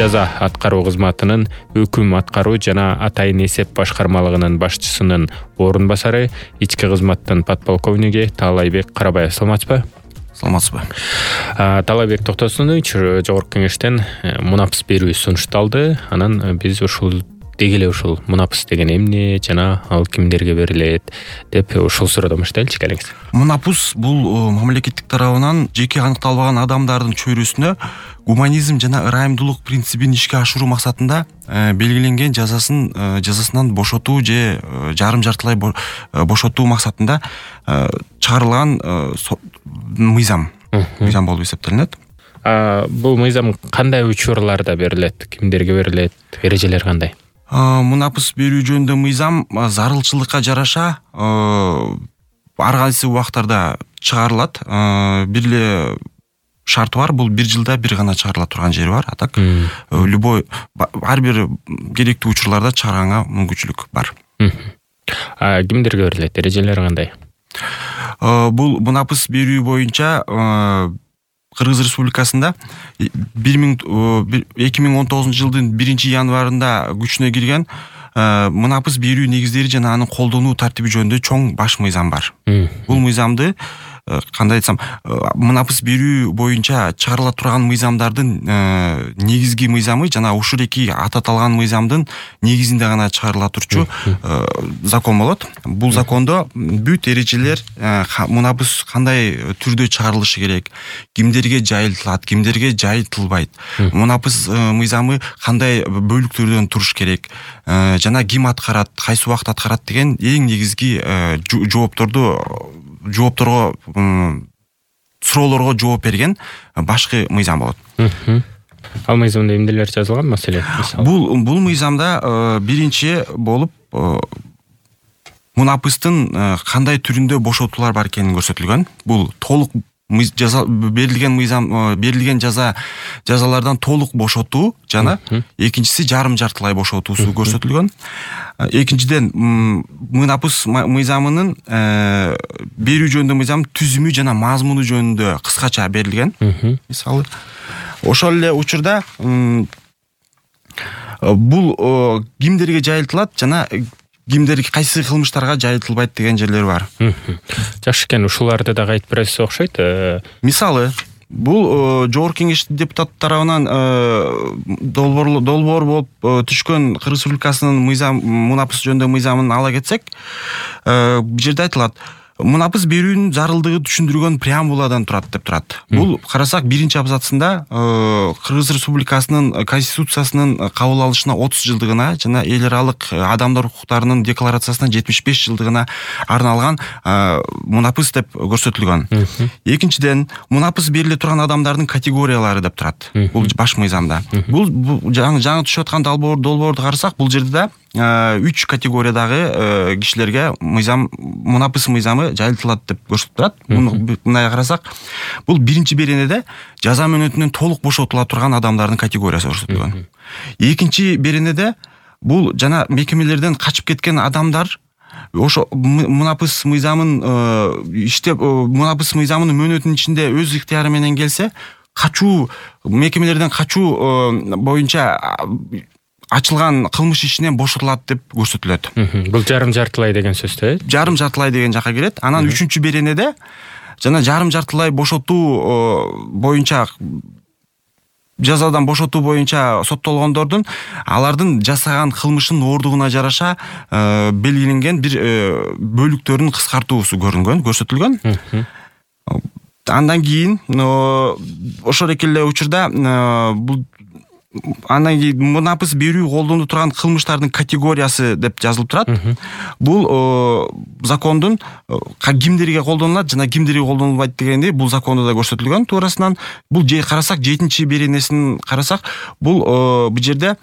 жаза аткаруу кызматынын өкүм аткаруу жана атайын эсеп башкармалыгынын башчысынын орун басары, ички кызматтын подполковниги Таалайбек Карабаев. Саламатсызбы? Саламатсызбы. Таалайбек Токтосунович, жогорку кеңештен мунапыс берүү сунушталды. Анан биз ушул мунапыс деген эмне жана ал кимдерге берилет деп ушул суроодон баштайлычы келиңиз. Мунапыс бул мамлекеттик тарабынан жеке аныкталбаган адамдардын чөйрөсүнө гуманизм жана ырайымдуулук принцибин ишке ашыруу максатында белгиленген жазасынан бошотуу же жарым жартылай бошотуу максатында чыгарылган мыйзам болуп эсептелинет. Бул мыйзам кандай учурларда берилет, кимдерге берилет, эрежелери кандай? Мунапыс берүү жөнүндө мыйзам зарылчылыкка жараша ар кайсы убактарда чыгарылат. Бир эле шарты бар, бул 1 жылда бир гана чыгарыла турган жери бар. А так любой ар бир керектүү учурларда чыгарганга мүмкүнчүлүк бар. Кимдерге берилет, эрежелери кандай? Бул мунапыс берүү боюнча Кыргыз Республикасында 2019 жылдын 1-январында күчүнө кирген мунапыс берүү негиздери жана анын колдонуу тартиби жөнүндө чоң баш мыйзам бар. Бул мыйзамды кандай айтсам, мунапыс берүү боюнча чыгарыла турган мыйзамдардын негизги мыйзамы жана ушул эки аталган мыйзамдын негизинде гана чыгарыла турчу закон болот. Бул закондо бүт эрежелер мунапыс кандай түрдө чыгарылышы керек, кимдерге жайылтылат, кимдерге жайылтылбайт, мунапыс мыйзамы кандай бөлүктөрдөн туруш керек, жана ким аткарат, кайсы убакыт аткарат деген эң негизги жоопторго суроолорго жооп берген башкы мыйзам болот. Ал мыйзамда эмнелер жазылган, маселен? Бул мыйзамда биринчи болуп мунапыстын кандай түрүндө бошотуулар бар экени көрсөтүлгөн. Бул толук берилген жазалардан толук бошотуу жана экинчиси жарым жартылай бошотуусу көрсөтүлгөн. Экинчиден мунапыс мыйзамынын берүү жөнүндө мыйзам түзүмү жана мазмуну жөнүндө кыскача берилген. Мисалы, ошол эле учурда бул кимдерге жайылтылат жана кимдер кайсы кылмыштарга жайылтылбайт деген жерлер бар. Жакшы экен, ушуларды да айтып бересиз окшойт. Мисалы, бул жогорку кеңеш депутат тарабынан долбоор болуп түшкөн Кыргыз Республикасынын мунапыс жөнүндө мыйзамын ала кетсек, бул жерде айтылат: мунапыс берүүнүн зарылдыгы түшүндүрүлгөн преамбуладан турат деп турат. Бул карасак 1-абзацында Кыргыз Республикасынын Конституциясынын кабыл алышына 30 жылдыгына жана эл аралык адамдар укуктарынын декларациясына 75 жылдыгына арналган мунапыс деп көрсөтүлгөн. Экинчиден, мунапыс бериле турган адамдардын категориялары деп турат. Бул баш мыйзамда. Бул жаңы түшүп аткан долбоорду карасак, бул жерде да 3 категориядагы кишилерге мунапыс мыйзамы жайылтылат деп көрсөтүп турат. Мындай карасак, бул биринчи беренеде жаза мөөнөтүнөн толук бошотула турган адамдардын категориясы көрсөтүлгөн. Экинчи беренеде бул жана мекемелерден качып кеткен адамдар ошо мунапыс мыйзамынын мөөнөтүнүн ичинде өз ыктыяры менен келсе, мекемелерден качуу боюнча ачылган кылмыш ишинен бошотулат деп көрсөтүлөт. Бул жарым жартылай деген сөз, жарым жартылай деген жака кирет. Анан 3-беренеде жана жарым жартылай бошотуу боюнча жазадан бошотуу боюнча соттолгондордун алардын жасаган кылмышынын оордугуна жараша белгиленген бир бөлүктөрүн кыскартуусу көрсөтүлгөн. Андан кийин ошол эле учурда бул андан кийин мунапыс берүү колдонулуп турган кылмыштардын категориясы деп жазылып турат. Бул закондун кимдерге колдонулат жана кимдерге колдонулбайт дегенди бул закондо да көрсөтүлгөн. Туурасынан бул карасак 7-беренесин карасак, бул жерде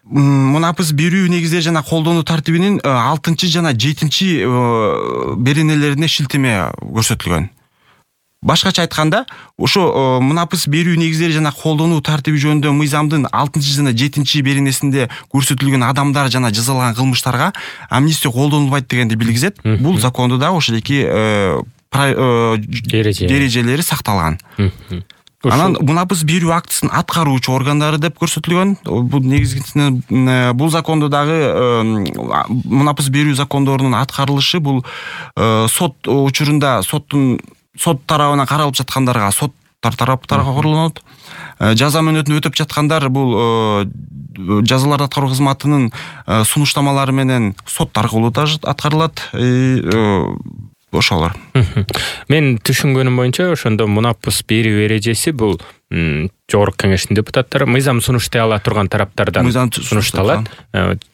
мунапыс берүү негиздери жана колдонуу тартибинин 6 жана 7 беренелерине шилтеме көрсөтүлгөн. Башкача айтканда, ошо мунапыс берүү негиздери жана колдонуу тартиби жөнүндө мыйзамдын 6 жана 7 беренесинде көрсөтүлгөн адамдар жана жазалган кылмыштарга амнистия колдонулбайт дегенди билгизет. Бул закондо да ошол эки эрежелери сакталган. Анан мунапыс берүү актысын аткаруучу органдары деп көрсөтүлгөн. Бул негизгисинен бул закондо дагы мунапыс берүү закондорунун аткарылышы бул сот учурунда сот тарабынан каралып жаткандарга соттар тараптарга корулунот. Жаза мөөнөтүн өтөп жаткандар бул жазаларды аткаруу кызматынын сунуштамалары менен сот аркылуу аткарылат. Ошолор. Мен түшүнгөнүм боюнча ошондо мунапыс берүү эрежеси бул жогорку кеңештин депутаттары мыйзам сунуштай ала турган тараптардан сунушталат.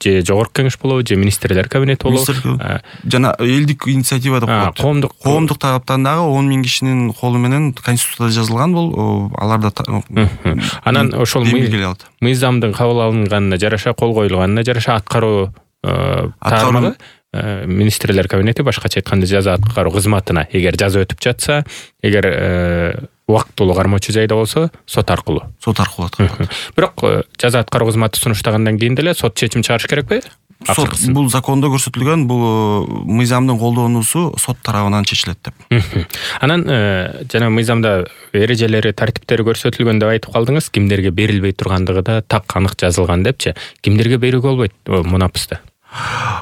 Же жогорку кеңеш болобу, же министрлер кабинети болобу, жана элдик инициатива деп коет. Коомдук тараптан дагы 10 000 кишинин колу менен конституцияда жазылган бул. Аларда анан ошол мыйзамдын кабыл алынганына жараша, кол коюлганына жараша аткаруу тармагы министрлер кабинети, башкача айтканда жаза аткаруу кызматына эгер жаза өтүп жатса, эгер убактылуу кармоочу жайда болсо сот аркылуу аткарылат. Бирок жаза аткаруу кызматы сунуштагандан кийин деле сот чечим чыгарыш керекпи? Сот бул закондо көрсөтүлгөн, бул мыйзамдын колдонуусу сот тарабынан чечилет деп. Анан жана мыйзамда эрежелери, тартиптери көрсөтүлгөн деп айтып калдыңыз. Кимдерге берилбей тургандыгы да так анык жазылган депчи. Кимдерге берүүгө болбойт мунапысты?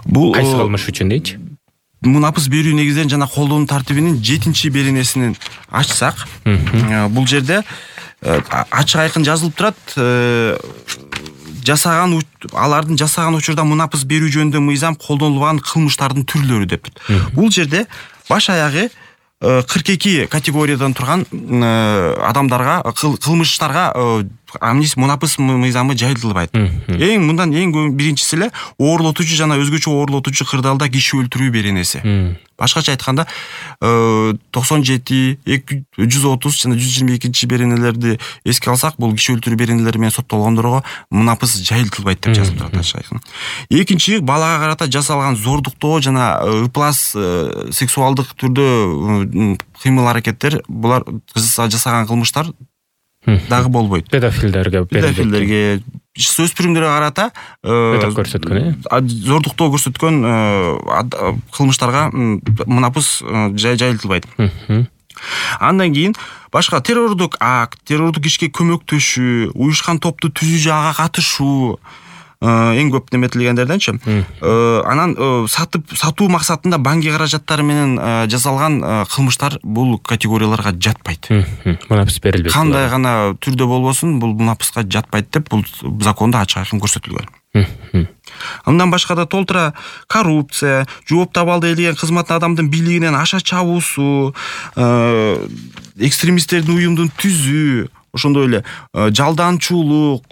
Бул кайсы кылмыш үчүн дейчи? Мунапыс берүү негизинен жана колдонуу тартибинин 7-беренесин ачсак, бул жерде ачык айкын жазылып турат. Алардын жасаган учурда мунапыс берүү жөнүндө мыйзам колдонулган кылмыштардын түрлөрү деп. Бул жерде баш аягы 42 категориядан турган адамдарга, кылмыштарга мунапыс мыйзамы жайылтылбайт. Мындан эң биринчиси эле оорлотуучу жана өзгөчө оорлотуучу кырдаалда киши өлтүрүү беренеси. Башкача айтканда 97, 130 жана 122 беренелерди эске алсак, бул киши өлтүрүү беренелери менен соттолгондорго мунапыс жайылтылбайт деп жазылып турат. Экинчи, балага карата жасалган зордуктоо жана ыплас сексуалдык түрдө кыймыл аракеттер, булар жасаган кылмыштар дагы болбойт. Педофилдерге, өспүрүмдөргө карата көрсөткөн, зордуктоо көрсөткөн кылмыштарга мунапыс жайылтылбайт. Андан кийин башка террордук акт, террордук ишке көмөктөшүү, уюшкан топту түзүү, ага катышуу эң көп неметилгендерденчи. Анан сатуу максатында банки каражаттары менен жасалган кылмыштар бул категорияларга жатпайт. Мунапыс берилбейт. Кандай гана түрдө болбосун, бул мунапыска жатпайт деп бул закондо ачык айкын көрсөтүлгөн. Андан башка да толтура коррупция, жооп таба алды элеген кызматтын адамдын бийлигинен аша чабуусу, экстремисттердин уюмдун түзүү, ошондой эле жалданчуулук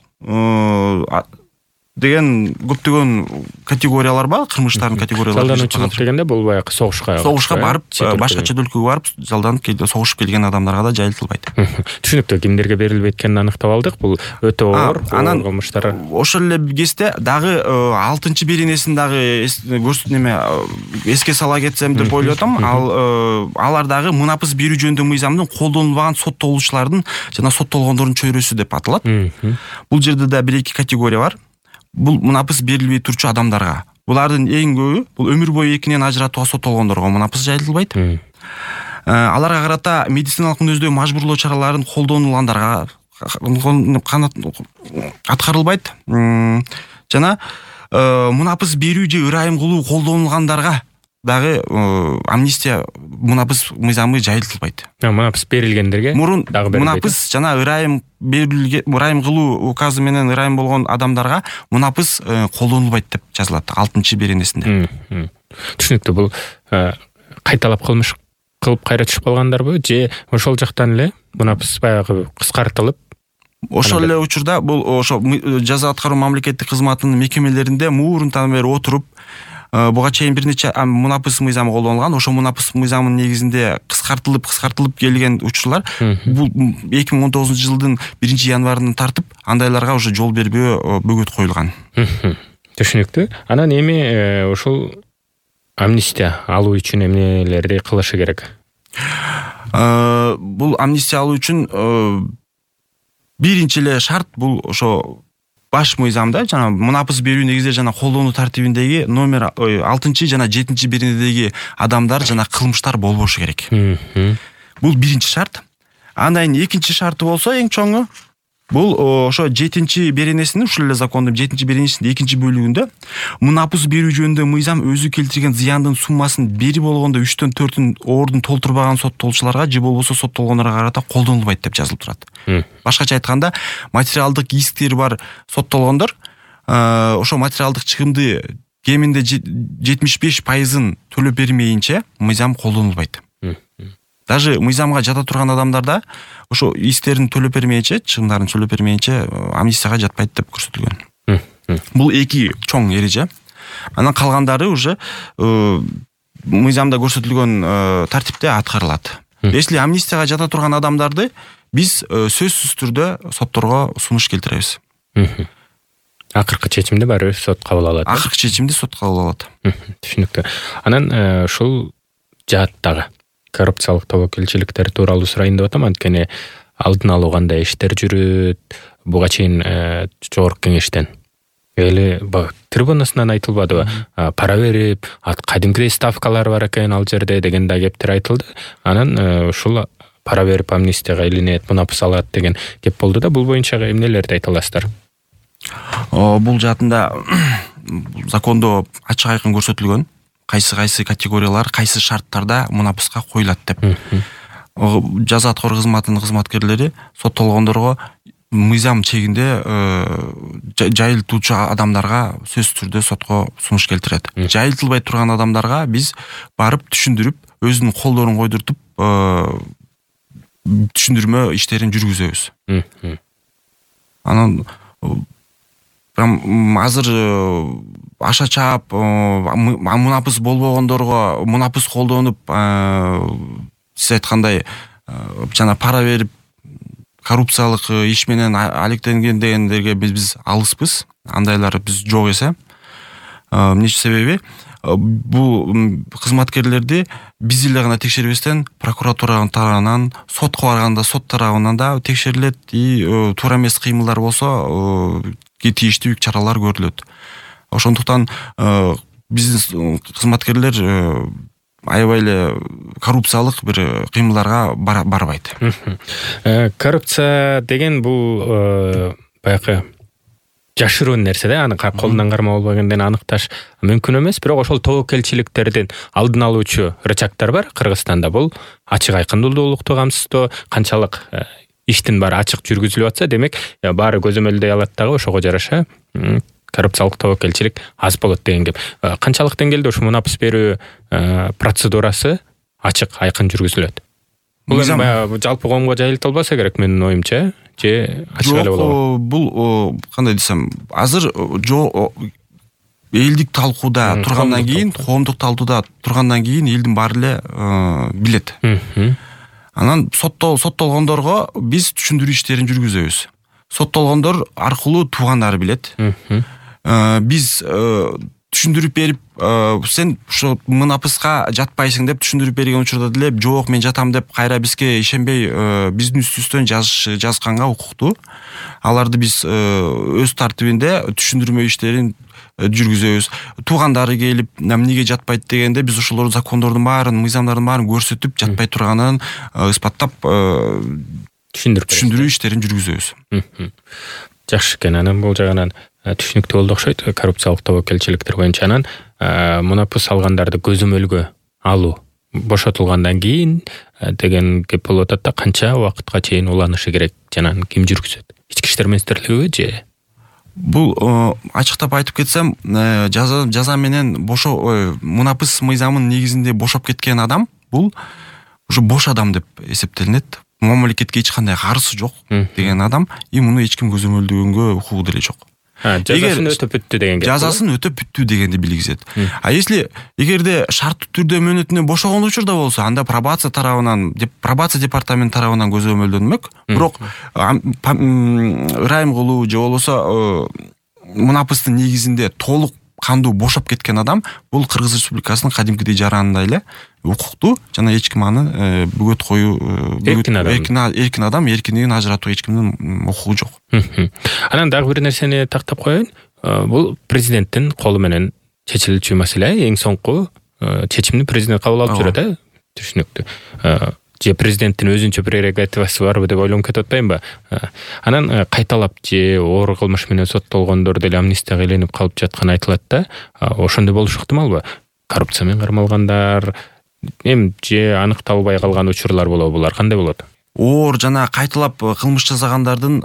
деген көптөгөн категориялар бар, кылмыштардын категориялары. Жалдануучулук дегенде бул баягы согушка барып, башка чет өлкөгө барып жалданып согушуп келген адамдарга да жайылтылбайт. Түшүнүктүү, кимдерге берилбейт экенин аныктап алдык. Бул өтө оор кылмыштар. Ошол эле кезде дагы 6-беренесин дагы эске сала кетсем деп ойлоп атам. Алар дагы мунапыс берүү жөнүндө мыйзамдын колдонулбаган соттолуучулардын жана соттолгондордун чөйрөсү деп аталат. Бул жерде да 1-2 категория бар. Бул мунапыс берилбей турчу адамдарга. Булардын эң көбү бул өмүр бою экинен ажыратууга соттолгондорго мунапыс жайылтылбайт. Аларга карата медициналык мүнөздөй мажбурлоо чараларын колдонулгандарга аткарылбайт. Жана мунапыс берүү же ырайым кылуу колдонулгандарга дагы амнистия мунапыс мыйзамы жайылтылбайт. Мунапыс берилгендерге мурун мунапыс жана ырайым кылуу указы менен ырайым болгон адамдарга мунапыс колдонулбайт деп жазылат 6-беренесинде. Түшүнүктүү. Бул кайталап кылмыш кылып кайра түшүп калгандарбы, же ошол жактан эле мунапыс баягы кыскартылып? Ошол эле учурда бул ошо жаза аткаруу мамлекеттик кызматынын мекемелеринде муурунтан бери отуруп, буга чейин бир нече мунапыс мыйзамы колдонулган. Ошо мунапыс мыйзамынын негизинде кыскартылып келген учурлар бул 2019-жылдын 1-январынан тартып андайларга уже жол бербөө бөгөт коюлган. Түшүнүктүү. Анан эми ошол амнистия алуу үчүн эмнелерди кылышы керек? Бул амнистия алуу үчүн биринчи эле шарт бул ошо баш мыйзамда жана мунапыс берүү негизде жана колдонуу тартибиндеги номер 6 жана 7-беренедеги адамдар жана кылмыштар болбошу керек. Бул биринчи шарт. Андан экинчи шарты болсо эң чоңу бул ошо 7-беренесинин ушул эле закондун 7-беренесинин 2-бөлүгүндө мунапыс берүү жөнүндө мыйзам өзү келтирген зыяндын суммасын бери болгондо 3/4 ордун толтурбаган соттолуучуларга же болбосо соттолгондорго карата колдонулбайт деп жазылып турат. Башкача айтканда, материалдык исктери бар соттолгондор ошо материалдык чыгымды кеминде 75%-ын төлөп бермейинче мыйзам колдонулбайт. Даже мыйзамга жата турган адамдарда ошо исктерин төлөп бермейинче, чыгымдарын төлөп бермейинче амнистияга жатпайт деп көрсөтүлгөн. Бул эки чоң эреже. Анан калгандары уже мыйзамда көрсөтүлгөн тартипте аткарылат. Если амнистияга жата турган адамдарды биз сөзсүз түрдө сотторго сунуш келтиребиз. Акыркы чечимди баары сот кабыл алат. Акыркы чечимди сот кабыл алат. Түшүнүктүү. Анан ушул жааттагы коррупциялык тобокелчиликтер тууралуу сурайын деп атам, анткени алдын алуу кандай иштер жүрөт, буга чейин жогорку кеңештен эли трибунасынан айтылбадыбы, пара берип, кадимкидей ставкалар бар экен ал жерде деген да кептер айтылды. Анан ушул пара берип амнистияга илинет, мунапыс алат деген кеп болду да, бул боюнча эмнелерди айта аласыздар? Бул жаатында закондо ачык айкын көрсөтүлгөн кайсы категориялар, кайсы шарттарда мунапыска коюлат деп. Жаза аткаруу кызматынын кызматкерлери соттолгондорго мыйзам чегинде жайылтуучу адамдарга сөзсүз түрдө сотко сунуш келтирет. Жайылтылбай турган адамдарга биз барып түшүндүрүп, өзүнүн колдорун койдуртуп түшүндүрмө иштерин жүргүзөбүз. Анан азыр аша чаап мунапыс болбогондорго мунапыс колдонуп, сиз айткандай жана пара берип коррупциялык иш менен алектенген дегендерге биз алыспыз. Андайлар биз жок эсе. Эмне себеби бул кызматкерлерди биз эле гана текшербестен прокуратура тарабынан, сотко барганда сот тарабынан да текшерилет, туура эмес кыймылдар болсо тийиштүү чаралар көрүлөт. Ошондуктан биздин кызматкерлер аябай эле коррупциялык бир кыймылдарга барбайт. Коррупция деген бул баягы жашыруун нерсе да, аны колунан карма болбогондон аныкташ мүмкүн эмес, бирок ошол тобокелчиликтердин алдын алуучу рычагдар бар Кыргызстанда. Бул ачык айкындуулукту камсыздоо, канчалык иштин баары ачык жүргүзүлүп атса, демек баары көзөмөлдөй алат дагы, ошого жараша коррупциялык тобокелчилик аз болот деген кеп. Канчалык деңгээлде ушу мунапыс берүү процедурасы ачык айкын жүргүзүлөт? Бул жалпы коомго жайылтылбаса керек менин оюмча, же ачык эле болобу? Бул кандай десем, азыр элдик талкууда тургандан кийин, коомдук талкууда тургандан кийин элдин баары эле билет. Анан соттолгондорго биз түшүндүрүү иштерин жүргүзөбүз. Соттолгондор аркылуу туугандары билет. Биз түшүндүрүп берип, сен ошо мунапыска жатпайсың деп түшүндүрүп берген учурда деле жок мен жатам деп кайра бизге ишенбей биздин үстүбүздөн жазганга укуктуу. Аларды биз өз тартибинде түшүндүрмө иштерин жүргүзөбүз. Туугандары келип, эмнеге жатпайт дегенде биз ошолор закондордун баарын, мыйзамдардын баарын көрсөтүп, жатпай турганын ыспаттап түшүндүрүү иштерин жүргүзөбүз. Жакшы экен. Анан бул жагынан түшүнүктүү болду окшойт коррупциялык тобокелчиликтер боюнча. Анан мунапыс алгандарды көзөмөлгө алуу бошотулгандан кийин деген кеп болуп атат да, канча убакытка чейин уланышы керек жана ким жүргүзөт? Ички иштер министрлигиби же? Бул ачыктап айтып кетсем, жаза менен мунапыс мыйзамынын негизинде бошоп кеткен адам бул уже бош адам деп эсептелинет. Мамлекетке эч кандай карызы жок деген адам, муну эч ким көзөмөлдөгөнгө укугу деле жок. Жазасын өтөп бүттү деген кеп. Жазасын өтөп бүттү дегенди билгизет. Эгерде шарттуу түрдө мөөнөтүнөн бошогон учурда болсо, анда пробация департаменти тарабынан көзөмөлдөнмөк. Бирок ырайым кылуу же болбосо мунапыстын негизинде толук кандуу бошоп кеткен адам бул Кыргыз Республикасынын кадимкидей жаранында эле укуктуу жана эч ким аны бөгөт коюу, эркин адам эркиндигин ажыратуу эч кимдин укугу жок. Анан дагы бир нерсени тактап коеюн. Бул президенттин колу менен чечилүүчү маселе. Эң соңку чечимди президент кабыл алып жүрөт, түшүнүктүү. же президенттин өзүнчө прерогативасы барбы деп ойлонуп кетип атпаймынбы? Анан кайталап же оор кылмыш менен соттолгондор деле амнистияга иленип калып жатканы айтылат да. Ошондой болушу ыктымалбы? Коррупция менен кармалгандар, же аныкталбай калган учурлар болобу? Булар кандай болот? Оор жана кайталап кылмыш жасагандардын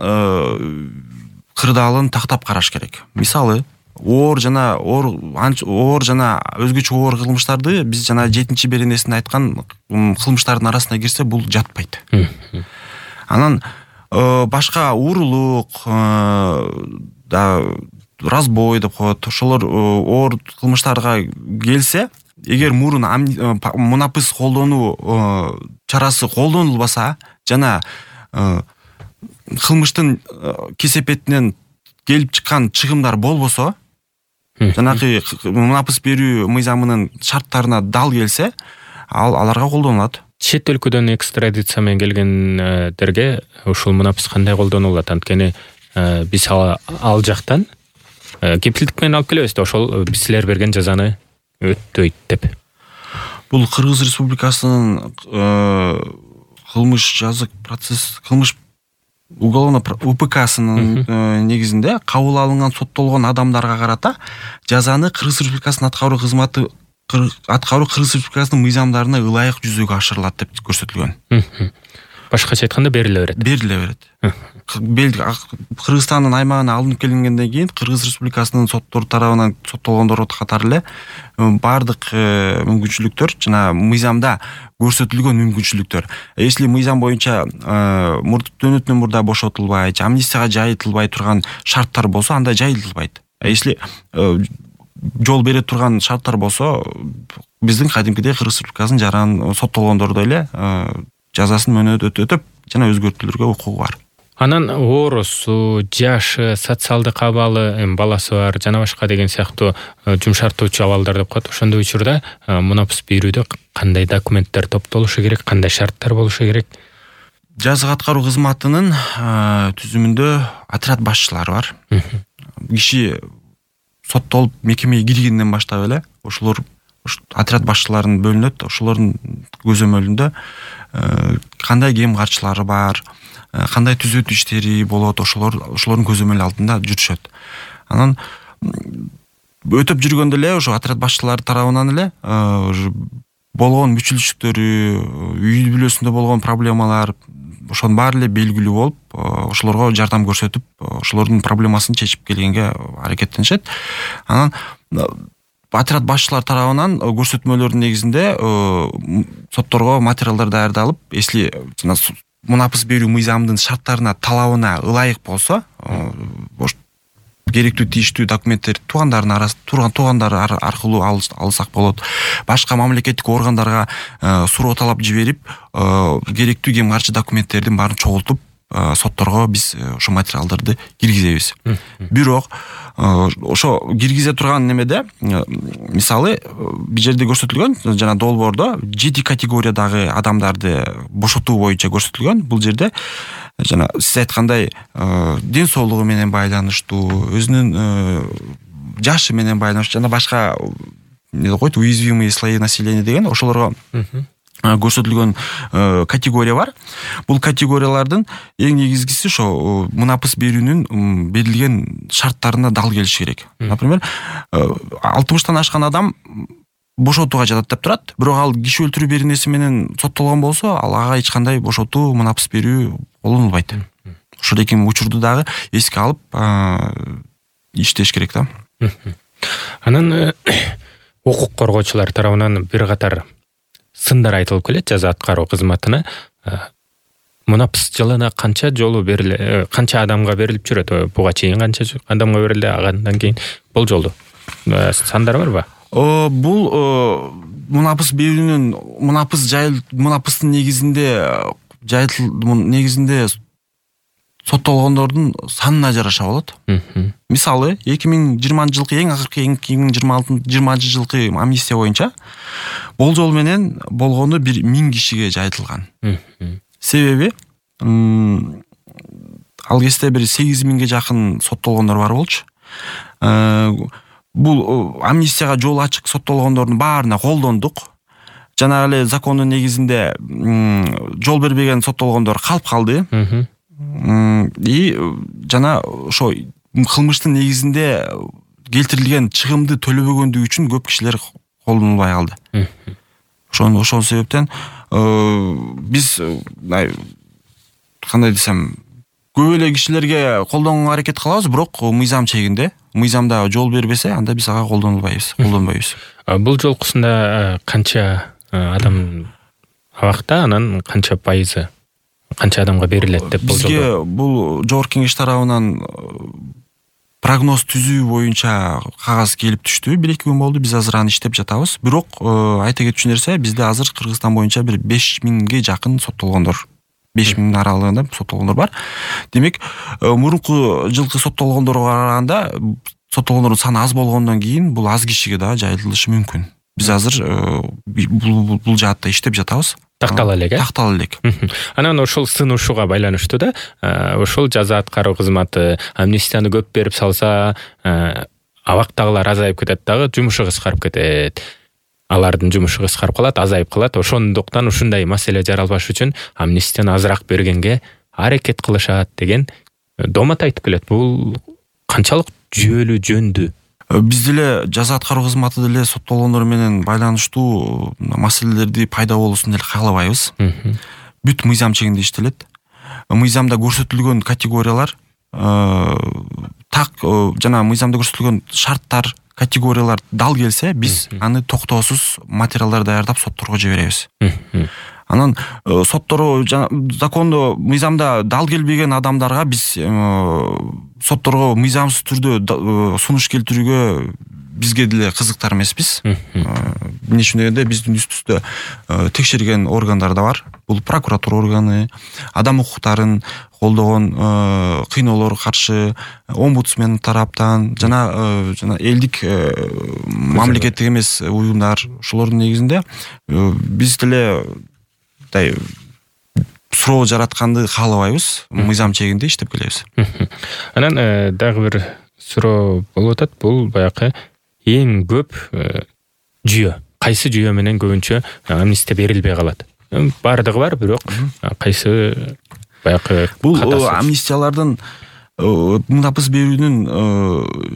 кырдаалын тактап караш керек. Мисалы, оор жана өзгөчө оор кылмыштарды биз жана 7 беренесинде айткан кылмыштардын арасына кирсе, бул жатпайт. Анан башка уурулук, разбой деп коет, ошолор оор кылмыштарга келсе, эгер мурун мунапыс колдонуу чарасы колдонулбаса жана кылмыштын кесепетинен келип чыккан чыгымдар болбосо, жанагы мунапыс берүү мыйзамынын шарттарына дал келсе, аларга колдонулат. Чет өлкөдөн экстрадиция менен келгендерге ушул мунапыс кандай колдонулат? Анткени биз ал жактан кепилдик менен алып келебиз да, ошол силер берген жазаны өттөйт деп. Бул Кыргыз Республикасынын кылмыш уголовно УПКсынын негизинде кабыл алынган соттолгон адамдарга карата жазаны Кыргыз Республикасынын аткаруу Кыргыз Республикасынын мыйзамдарына ылайык жүзөгө ашырылат деп көрсөтүлгөн. Башкача айтканда бериле берет. Кыргызстандын аймагына алынып келингенден кийин Кыргыз Республикасынын соттору тарабынан соттолгондор катары эле бардык мүмкүнчүлүктөр жана мыйзамда көрсөтүлгөн мүмкүнчүлүктөр. Если мыйзам боюнча мурдатөнүтүнөн мурда бошотулбай, амнистияга жайылтылбай турган шарттар болсо, анда жайылтылбайт. Если жол бере турган шарттар болсо, биздин кадимкидей Кыргыз Республикасынын жаран соттолгондордой эле жазасын мөөнөт өтөп жана өзгөртүүлөргө укугу бар. Анан оорусу, жашы, социалдык абалы, баласы бар жана башка деген сыяктуу жумшартуучу абалдар деп коет. Ошондой учурда мунапыс берүүдө кандай документтер топтолушу керек, кандай шарттар болушу керек? Жазык аткаруу кызматынын түзүмүндө отряд башчылары бар. Киши соттолуп мекемеге киргенден баштап эле ошолор отряд башчыларын бөлүнөт. Ошолордун көзөмөлүндө кандай кем карчылары бар, кандай түзөтүү иштери болот, ошолордун көзөмөлү алдында жүрүшөт. Анан өтөп жүргөндө эле ошо отряд башчылары тарабынан эле болгон мүчүлүштүктөрү, үй бүлөсүндө болгон проблемалар, ошонун баары эле белгилүү болуп, ошолорго жардам көрсөтүп, ошолордун проблемасын чечип келгенге аракеттенишет. Анан отряд башчылар тарабынан көрсөтмөлөрдүн негизинде сотторго материалдар даярдалып, если мунапыс берүү мыйзамынын шарттарына, талабына ылайык болсо, керектүү тийиштүү документтерди туугандар аркылуу алсак болот. Башка мамлекеттик органдарга суроо талап жиберип, керектүү кем карчы документтердин баарын чогултуп, сотторго биз ошо материалдарды киргизебиз. Бирок ошо киргизе турган немеде, мисалы, бир жерде көрсөтүлгөн, жана долбоордо 7 категориядагы адамдарды бошотуу боюнча көрсөтүлгөн. Бул жерде жана сиз айткандай ден соолугу менен байланыштуу, өзүнүн жашы менен байланыштуу жана башка койт уязвимые слои населения деген ошолорго көрсөтүлгөн категория бар. Бул категориялардын эң негизгиси ошо мунапыс берүүнүн берилген шарттарына дал келиш керек. Например, 60-тан ашкан адам бошотууга жатат деп турат, бирок ал киши өлтүрүү беренеси менен соттолгон болсо, ага эч кандай бошотуу, мунапыс берүү колдонулбайт. Ошол эки учурду дагы эске алып иштеш керек да. Анан укук коргоочулар тарабынан бир катар сындар айтылып келет жаза аткаруу кызматына. Мунапыс жылына канча жолу бериле, канча адамга берилип жүрөт? Буга чейин канча адамга берилди, андан кийин болжолду сандар барбы? Бул мунапыс берүүнүн мунапыстын негизинде соттолгондордун санына жараша болот. Мисалы, 2020 жылкы эң акыркы 2020 жылкы амнистия боюнча болжол менен болгону 1000 кишиге жайылтылган. Себеби ал кезде бир 8000ге жакын соттолгондор бар болчу. Бул амнистияга жол ачык соттолгондордун баарына колдондук. жанагы эле закондун негизинде жол бербеген соттолгондор калып калды. И жана ошо кылмыштын негизинде келтирилген чыгымды төлөбөгөндүгү үчүн көп кишилер колдонулбай калды. Ошол себептен биз кандай десем, көп эле кишилерге колдонууга аракет кылабыз, бирок мыйзам чегинде. Мыйзамда жол бербесе, анда биз ага колдонбойбуз. Бул жолкусунда канча адам абакта, анан канча пайызы, канча адамга берилет деп болжолдо? Бизге бул Жогорку Кеңеш тарабынан прогноз түзүү боюнча кагаз келип түштү. 1-2 күн болду. Биз азыр аны иштеп жатабыз. Бирок айта кетчү нерсе, бизде азыр Кыргызстан боюнча бир 5000ге жакын соттолгондор, 5000 аралыгында соттолгондор бар. Демек, мурунку жылкы соттолгондорго караганда соттолгондордун саны аз болгондон кийин бул аз кишиге да жайылышы мүмкүн. Биз азыр бул жаатта иштеп жатабыз. Тактала элек, Тактала элек. Анан ошол сынуушуга байланыштуу да, ошол жаза аткаруу кызматы амнистияны көп берип салса, абактагылар азайып кетет дагы, жумушу кыскарып кетет. Алардын жумушу кыскарып калат, азайып калат. Ошондуктан ушундай маселе жаралбаш үчүн амнистияны азыраак бергенге аракет кылышат деген домат айтып келет. Бул канчалык жүйөлүү, жөндүү? Биз деле жаза аткаруу кызматы деле соттолгондор менен байланыштуу маселелерди пайда болуусун деле каалабайбыз. Бүт мыйзам чегинде иштелет. Мыйзамда көрсөтүлгөн категориялар так жана мыйзамда көрсөтүлгөн шарттар, категориялар дал келсе, биз аны токтоосуз материалдар даярдап сотторго жиберебиз. Анан соттору закондо мыйзамда дал келбеген адамдарга биз сотторго мыйзамсыз түрдө сунуш келтирүүгө бизге деле кызыктар эмеспиз. Эмне үчүн дегенде биздин үстүбүздө текшерген органдар да бар. Бул прокуратура органы, адам укуктарын колдогон кыйноолорго каршы омбудсмен тараптан жана элдик мамлекеттик эмес уюмдар, ошолордун негизинде биз деле суроо жаратканды каалабайбыз, мыйзам чегинде иштеп келебиз. Анан дагы бир суроо болуп атат. Бул баягы эң көп жүйө, кайсы жүйө менен көбүнчө амнистия берилбей калат? Бардыгы бар, бирок кайсы баягы бул амнистиялардын мунапыс берүүнүн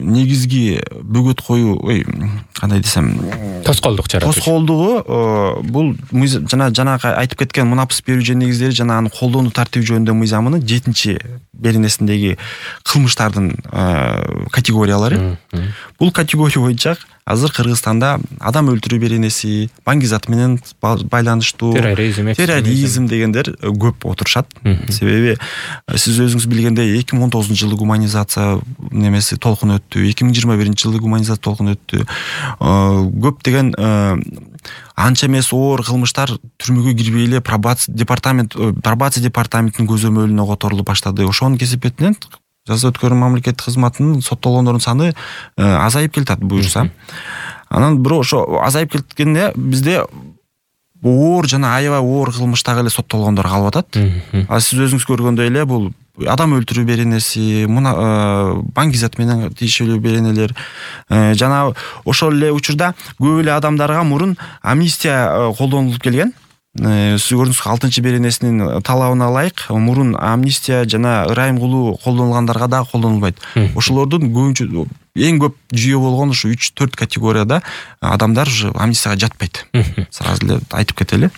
негизги бөгөт коюу, кандай десем, тоскоолдук жаратуу. Тоскоолдугу бул жанагы айтып кеткен мунапыс берүү негиздери жана аны колдонуу тартиби жөнүндө мыйзамынын 7-беренесиндеги кылмыштардын категориялары. Бул категория боюнча азыр Кыргызстанда адам өлтүрүү беренеси, баңгизат менен байланыштуу, терроризм дегендер көп отурушат. Себеби сиз өзүңүз билгендей 2019-жылы гуманизация немеси толкун өттү, 2021-жылы гуманизация толкун өттү. Көптөгөн анча эмес оор кылмыштар түрмөгө кирбей эле пробация департаментинин көзөмөлүнө которулуп баштады. Ошонун кесепетинен жаза өткөрүү мамлекеттик кызматынын соттолгондордун саны азайып келатат буюрса. Анан бирок ошо азайып кеткенде бизде оор жана аябай оор кылмыштагы эле соттолгондор калып атат. Сиз өзүңүз көргөндөй эле бул адам өлтүрүү беренеси, баңгизат менен тиешелүү беренелер жана ошол эле учурда көп эле адамдарга мурун амнистия колдонулуп келген. Сиз көрдүңүз, 6-беренесинин талабына ылайык мурун амнистия жана ырайым кылуу колдонулгандарга да колдонулбайт. Ошолордун көбүнчө эң көп жүйө болгон ушу 3-4 категорияда адамдар уже амнистияга жатпайт. Сразу эле айтып кетели.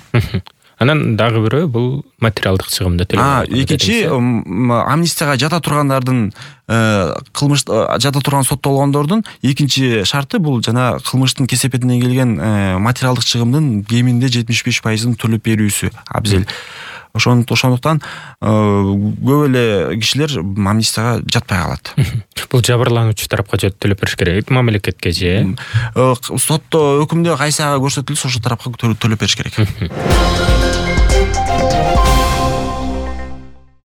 Анан дагы бирөө бул материалдык чыгымды төлөө. Экинчи амнистияга жата тургандардын кылмыш жата турган соттолгондордун экинчи шарты бул жана кылмыштын кесепетинен келген материалдык чыгымдын кеминде 75%-ын төлөп берүүсү абзел. Ошондуктан көп эле кишилер амнистияга жатпай калат. Бул жабырлануучу тарапка төлөп бериш керек, мамлекетке же? Сотто өкүмдө кайсы көрсөтүлсө ошол тарапка төлөп бериш керек.